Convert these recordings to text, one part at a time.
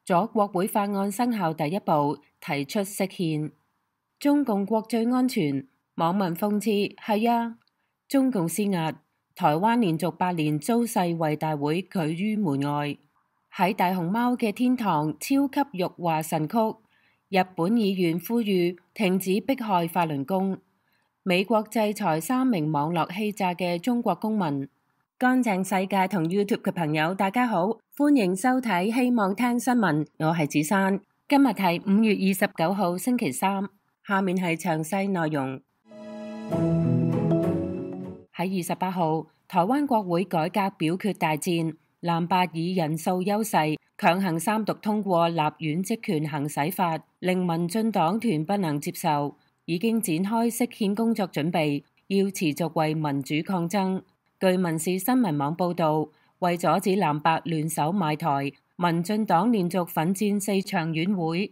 咗國會法案生效第一步，提出釋憲。中共國最安全，網民諷刺係啊，中共施壓，台灣連續8年遭世衛大會拒於門外。喺大熊貓嘅天堂超級辱華神曲，日本議員呼籲停止迫害法輪功。美國制裁3名網絡欺詐嘅中國公民。乾淨世界同 YouTube 嘅朋友，大家好，歡迎收睇希望聽新聞，我係子珊。今日係5月29號星期三，下面係詳細內容。喺28號，台灣國會改革表決大戰，藍白以人數優勢強行3讀通過立院職權行使法，令民進黨團不能接受，已經展開釋憲工作準備，要持續為民主抗爭。據民視新聞網報導，為阻止藍白聯手賣台，民進黨連續奮戰4場院會，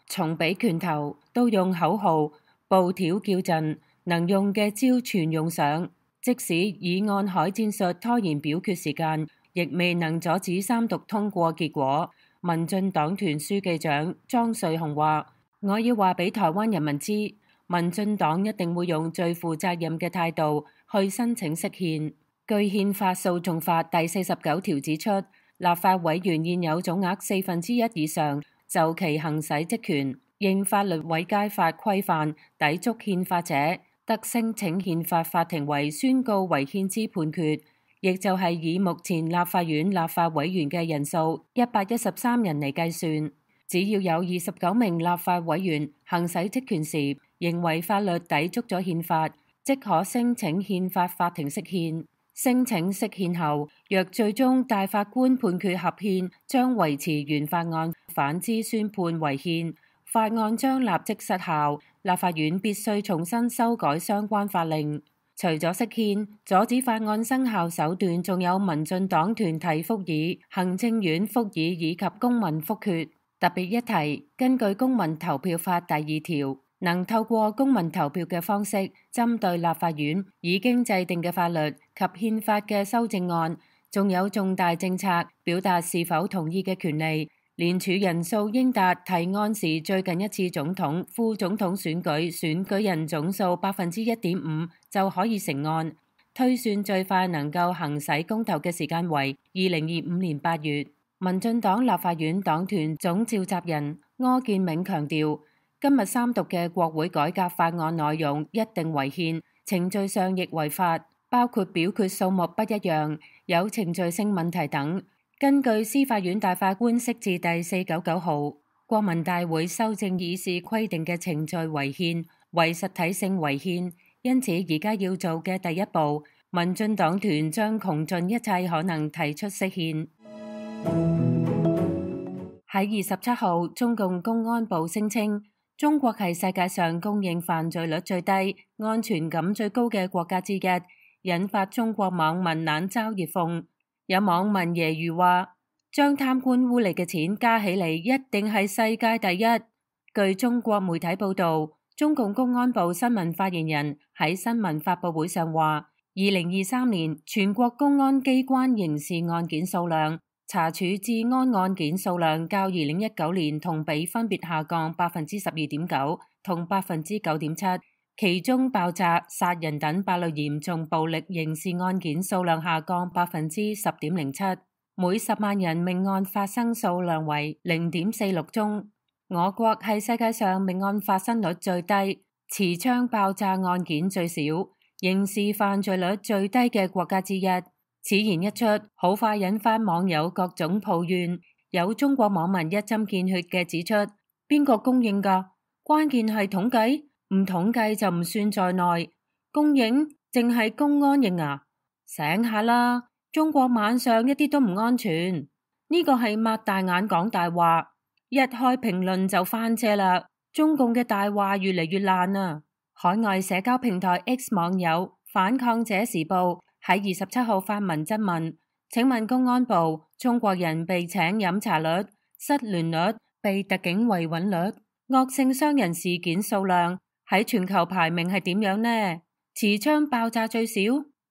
從俾拳頭到用口號、布條叫陣，能用嘅招全用上。即使以按海戰術拖延表決時間，亦未能阻止3讀通過結果。民進黨團書記長莊瑞雄話：我要話俾台灣人民知，民進黨一定會用最負責任嘅態度去申請釋憲。據憲法訴訟法第49條指出，立法委員現有總額1/4以上就其行使職權，應法律違屆法規範抵觸憲法者，得申請憲法法庭為宣告違憲之判決，亦就係以目前立法院立法委員嘅人數113人嚟計算，只要有29名立法委員行使職權時，認為法律抵觸咗憲法，即可申請憲法法庭釋憲。申請釋憲後，若最終大法官判決合憲，將維持原法案；反之宣判違憲，法案將立即失效。立法院必須重新修改相關法令。除咗釋憲，阻止法案生效手段，仲有民進黨團體復議、行政院復議以及公民復決。特別一提，根據公民投票法第2條，能透過公民投票嘅方式，針對立法院已經制定嘅法律及憲法嘅修正案，仲有重大政策表達是否同意嘅權利，連署人數應達提案時最近一次總統、副總統選舉人總數1.5%就可以成案。推算最快能夠行使公投嘅時間為2025年8月。民進黨立法院黨團總召集人柯建銘強調，今日3讀嘅國會改革法案內容一定違憲，程序上亦違法，包括表決數目不一樣、有程序性問題等。根據司法院大法官釋字第499號，國民大會修正議事規定嘅程序違憲，為實體性違憲，因此而家要做嘅第一步，民進黨團將窮盡一切可能提出釋憲。喺27號，中共公安部聲稱，中國係世界上公認犯罪率最低、安全感最高嘅國家之一，引發中國網民冷嘲熱諷。有網民揶揄話，將貪官污吏嘅錢加起嚟，一定係世界第一。據中國媒體報道，中共公安部新聞發言人喺新聞發佈會上話，2023年全國公安機關刑事案件數量、查處治安案件數量較2019年同比分別下降12.9%同9.7%，其中爆炸、殺人等8類嚴重暴力刑事案件數量下降10.07%，每10萬人命案發生數量為0.46宗。我國係世界上命案發生率最低、持槍爆炸案件最少、刑事犯罪率最低嘅國家之一。此言一出，好快引發網友各種抱怨。有中國網民一針見血嘅指出，邊個公認㗎？關鍵係統計，唔統計就唔算在內。公認淨係公安認啊？醒下啦！中國晚上一啲都唔安全。呢個係擘大眼講大話，一開評論就翻車啦。中共嘅大話越嚟越爛啊！海外社交平台 X 網友反抗者時報喺27號發文質問，請問公安部，中國人被請飲茶率、失聯率、被特警維穩率、惡性傷人事件數量喺全球排名係點樣呢？持槍爆炸最少，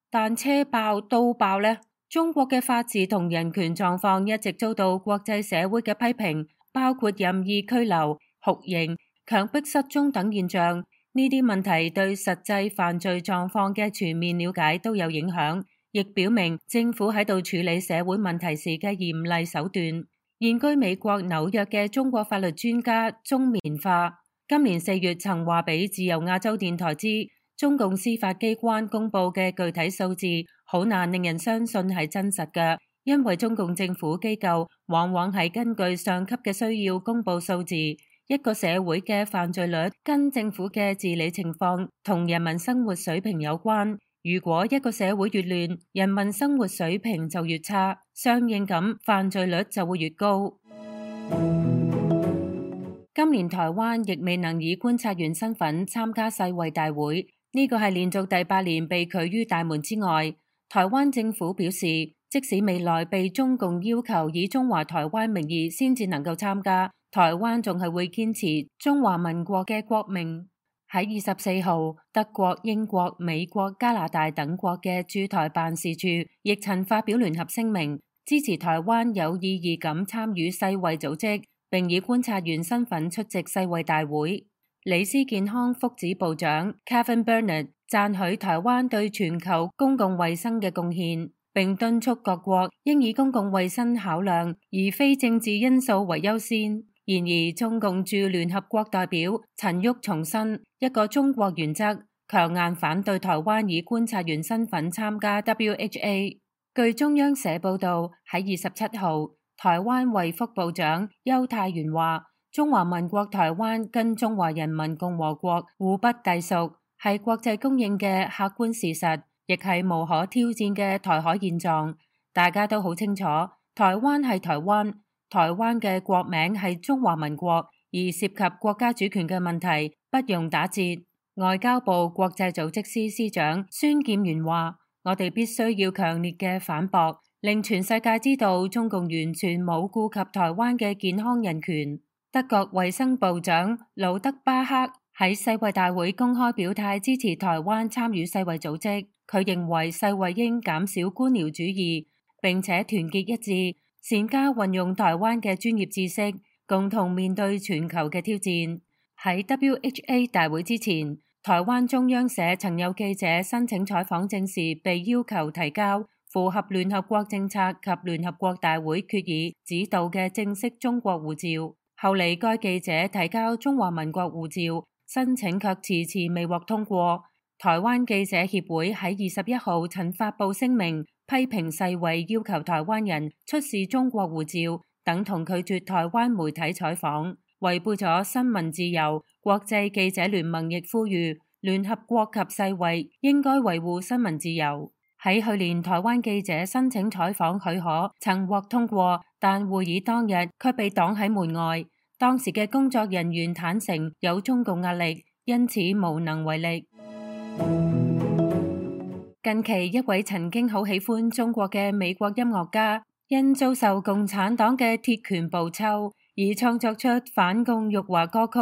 但車爆、刀爆呢？中國嘅法治同人權狀況一直遭到國際社會嘅批評，包括任意拘留、酷刑、強迫失蹤等現象。呢啲問題對實際犯罪狀況嘅全面了解都有影響，亦表明政府喺度處理社會問題時嘅嚴厲手段。現居美國紐約嘅中國法律專家鍾棉花今年4月曾話俾自由亞洲電台知，中共司法機關公布嘅具體數字好難令人相信係真實嘅，因為中共政府機構往往係根據上級嘅需要公布數字。一個社會嘅犯罪率跟政府嘅治理情況同人民生活水平有關。如果一個社會越亂，人民生活水平就越差，相應咁犯罪率就會越高。今年台灣亦未能以觀察員身份參加世衛大會，呢個係連續第8年被拒於大門之外。台灣政府表示，即使未來被中共要求以中華台灣名義先至能夠參加，台灣仲係會堅持中華民國嘅國名。喺24號，德國、英國、美國、加拿大等國嘅駐台辦事處亦曾發表聯合聲明，支持台灣有意義咁參與世衛組織，並以觀察員身份出席世衛大會。李斯健康福祉部長 Kevin Burnett 讚許台灣對全球公共衛生嘅貢獻，並敦促各國應以公共衛生考量，而非政治因素為優先。然而，中共駐聯合國代表陳旭重申一個中國原則，強硬反對台灣以觀察員身份參加 WHA。據中央社報道，喺27號，台灣衛福部長邱泰源話，中華民國台灣跟中華人民共和國互不隸屬，係國際公認嘅客觀事實，亦係無可挑戰嘅台海現狀。大家都好清楚，台灣係台灣。台灣嘅國名係中華民國，而涉及國家主權嘅問題不容打折。外交部國際組織司司長孫劍元話，我哋必須要強烈嘅反駁，令全世界知道中共完全冇顧及台灣嘅健康人權。德國衛生部長魯德巴克喺世衛大會公開表態支持台灣參與世衛組織，佢認為世衛應減少官僚主義，並且團結一致，善加運用台灣嘅專業知識，共同面對全球嘅挑戰。喺 WHA 大會之前，台灣中央社曾有記者申請採訪證時，被要求提交符合聯合國政策及聯合國大會決議指導嘅正式中國護照。後嚟該記者提交中華民國護照申請卻遲遲未獲通過。台灣記者協會喺21號曾發布聲明，批評世衛要求台灣人出示中國護照，等同拒絕台灣媒體採訪，違背咗新聞自由。國際記者聯盟亦呼籲聯合國及世衛應該維護新聞自由。喺去年，台灣記者申請採訪許可曾獲通過，但會議當日卻被擋喺門外。當時嘅工作人員坦承有中共壓力，因此無能為力。近期一位曾經好喜歡中國嘅美國音樂家，因遭受共產黨嘅鐵拳暴抽而創作出反共辱華歌曲，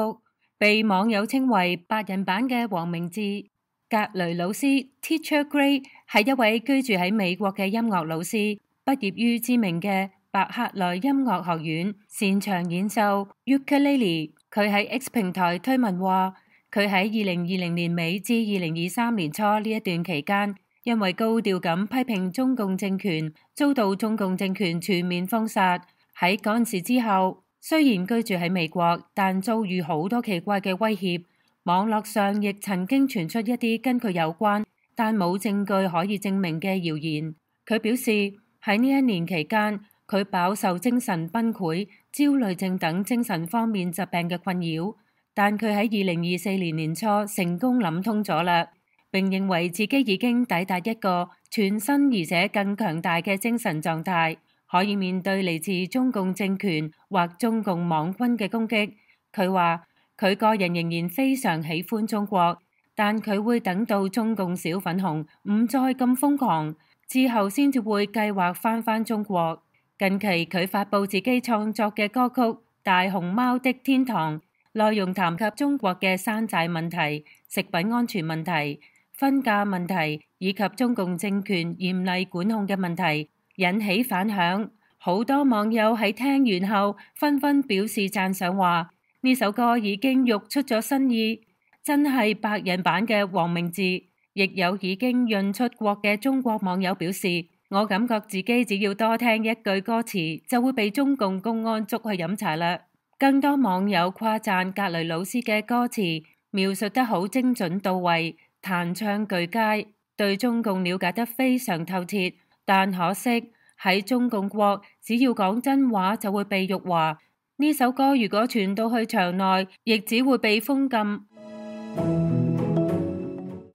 被網友稱為白人版嘅黃明志。格雷老師 Teacher Gray 係一位居住喺美國嘅音樂老師，畢業於知名嘅伯克萊音樂學院，擅長演奏 ukulele。佢喺 X 平台推文話，佢喺2020年尾至2023年初呢一段期間，因為高調咁批評中共政權，遭到中共政權全面封殺。喺嗰陣時之後，雖然居住喺美國，但遭遇好多奇怪嘅威脅。網絡上亦曾經傳出一啲跟佢有關，但冇證據可以證明嘅謠言。佢表示喺呢一年期間，佢飽受精神崩潰、焦慮症等精神方面疾病嘅困擾，但佢喺2024年年初成功諗通咗啦，並認為自己已經抵達一個全新而且更強大嘅精神狀態，可以面對嚟自中共政權或中共網軍嘅攻擊。佢話佢個人仍然非常喜歡中國，但佢會等到中共小粉紅唔再咁瘋狂之後，先至會計劃返中國。近期佢發佈自己創作嘅歌曲《大熊貓的天堂》，內容談及中國嘅山寨問題、食品安全問題、分價問題以及中共政權嚴厲管控嘅問題，引起反響。好多網友喺聽完後紛紛表示讚賞，話呢首歌已經育出咗新意，真係白人版嘅黃明志。亦有已經潤出國嘅中國網友表示，我感覺自己只要多聽一句歌詞就會被中共公安捉去飲茶啦。更多網友誇讚格雷老師嘅歌詞描述得好精準到位，彈唱俱佳，對中共了解得非常透徹。但可惜喺中共國，只要講真話就會被辱華。呢首歌如果傳到去場內，亦只會被封禁。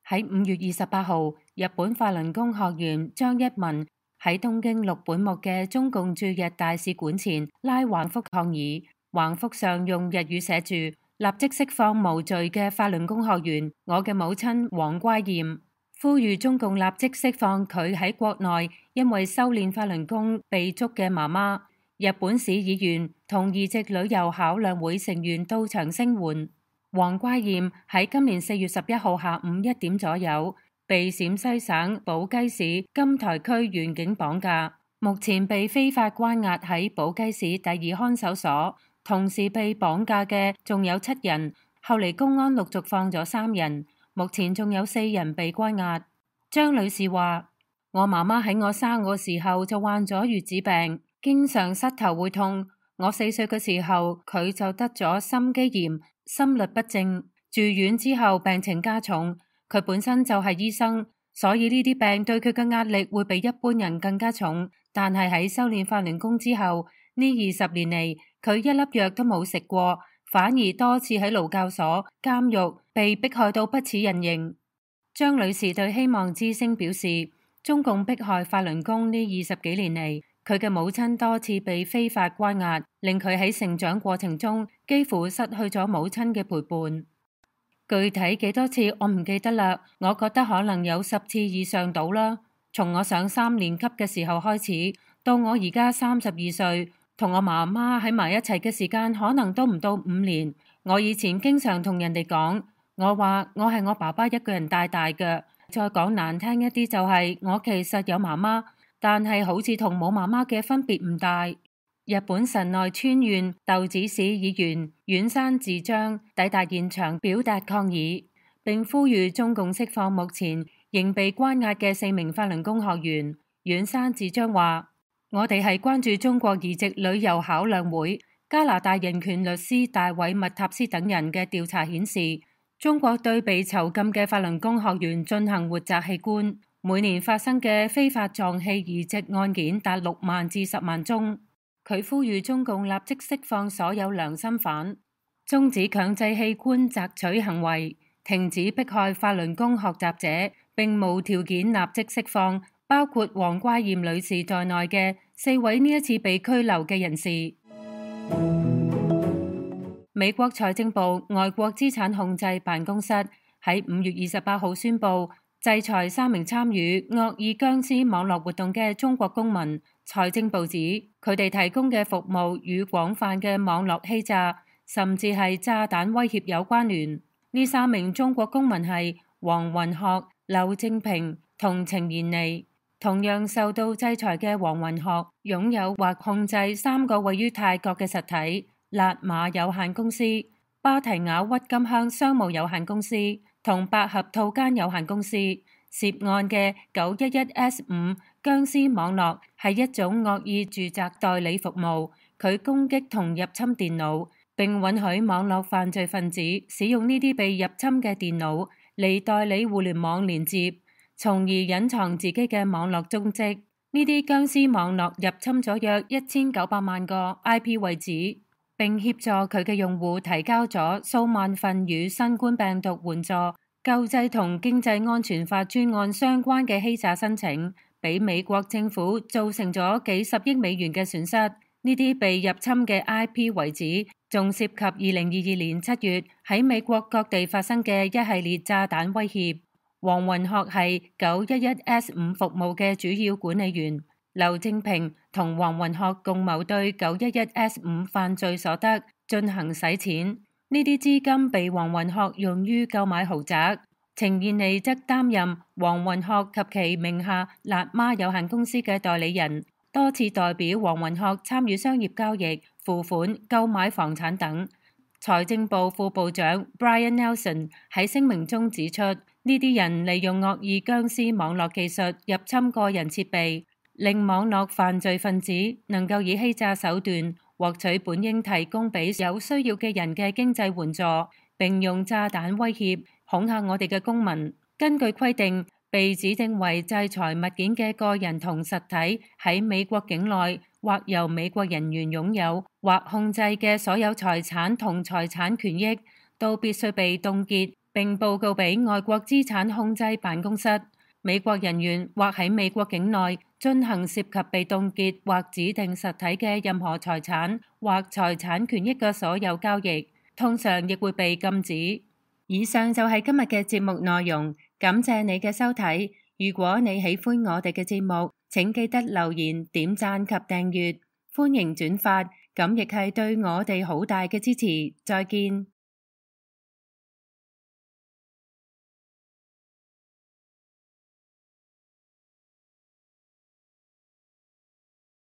喺5月28號，日本法輪功學員張一文喺東京六本木嘅中共駐日大使館前拉橫幅抗議，橫幅上用日語寫住立即釋放無罪嘅法輪功學員我嘅母親黃乖嬿，呼籲中共立即釋放佢喺國內因為修煉法輪功被捉嘅媽媽。日本市議員同移植旅遊考量會成員到場聲援。黃乖嬿喺今年4月11號下午1點左右被陝西省寶雞市金台區員警綁架，目前被非法關押喺寶雞市第2看守所。同時被綁架嘅仲有7人，後嚟公安陸續放咗3人，目前仲有4人被關押。張女士話：我媽媽喺我生我時候就患咗月子病，經常膝頭會痛。我4歲嘅時候佢就得咗心肌炎、心律不正，住院之後病情加重。佢本身就係醫生，所以呢啲病對佢嘅壓力會比一般人更加重。但係喺修煉法輪功之後，呢20年嚟，佢一粒藥都冇食過，反而多次喺勞教所、監獄被迫害到不似人形。張女士對希望之聲表示，中共迫害法輪功呢20幾年嚟，佢嘅母親多次被非法關押，令佢喺成長過程中幾乎失去咗母親嘅陪伴。具體幾多次我唔記得啦，我覺得可能有10次以上到啦。從我上3年級嘅時候開始，到我而家32歲，同我媽媽喺埋一齊嘅時間可能都唔到5年。我以前經常同人哋講，我話我係我爸爸一個人帶大嘅。再講難聽一啲就係我其實有媽媽，但係好似同冇媽媽嘅分別唔大。日本神奈川縣豆子市議員遠山智章抵達現場表達抗議，並呼籲中共釋放目前仍被關押嘅4名法輪功學員。遠山智章話：我哋係關注中國移植旅遊考量會、加拿大人權律師大衛麥塔斯等人嘅調查顯示，中國對被囚禁嘅法輪功學員進行活摘器官，每年發生嘅非法臟器移植案件達6萬至10萬宗。佢呼籲中共立即釋放所有良心犯，終止強制器官摘取行為，停止迫害法輪功學習者，並無條件立即釋放包括黃乖嬿女士在內嘅4位呢一次被拘留嘅人士。美國財政部外國資產控制辦公室喺5月28號宣布制裁3名參與惡意僵屍網絡活動嘅中國公民。財政部指佢哋提供嘅服務與廣泛嘅網絡欺詐，甚至係炸彈威脅有關聯。呢3名中國公民係黃雲學、劉正平同程賢妮。同樣受到制裁嘅黃雲學擁有或控制3個位於泰國嘅實體：辣馬有限公司、芭提雅鬱金香商務有限公司同百合套間有限公司。涉案嘅911S5僵屍網絡係一種惡意住宅代理服務，佢攻擊同入侵電腦，並允許網絡犯罪分子使用呢啲被入侵嘅電腦嚟代理互聯網連接，從而隱藏自己嘅網絡蹤跡。呢啲僵屍網絡入侵咗約1900萬個 IP 位置，並協助佢嘅用戶提交咗數萬份與新冠病毒援助、救濟同經濟安全法專案相關嘅欺詐申請，俾美國政府造成咗幾十億美元嘅損失。呢啲被入侵嘅 IP 位置仲涉及2022年7月喺美國各地發生嘅一系列炸彈威脅。黃雲學係911S5服務嘅主要管理員，劉正平同黃雲學共謀對911S5犯罪所得進行洗錢。呢啲資金被黃雲學用於購買豪宅，程燕妮則擔任黃雲學及其名下辣媽有限公司嘅代理人。多次代表黃雲學參與商業交易、付款、購買房產等。財政部副部長 Brian Nelson 喺聲明中指出，呢啲人利用惡意僵屍網絡技術入侵個人設備，令網絡犯罪分子能夠以欺詐手段獲取本應提供俾有需要嘅人嘅經濟援助，並用炸彈威脅恐嚇我哋嘅公民。根據規定，被指定為制裁物件嘅個人同實體喺美國境內或由美國人員擁有或控制嘅所有財產同財產權益，都必須被凍結並報告俾外國資產控制辦公室。美國人員或喺美國境內進行涉及被凍結或指定實體嘅任何財產或財產權益嘅所有交易，通常亦會被禁止。以上就係今日嘅節目內容，感謝你嘅收睇。如果你喜歡我哋嘅節目，請記得留言、點讚及訂閱，歡迎轉發，咁亦係對我哋好大嘅支持。再見。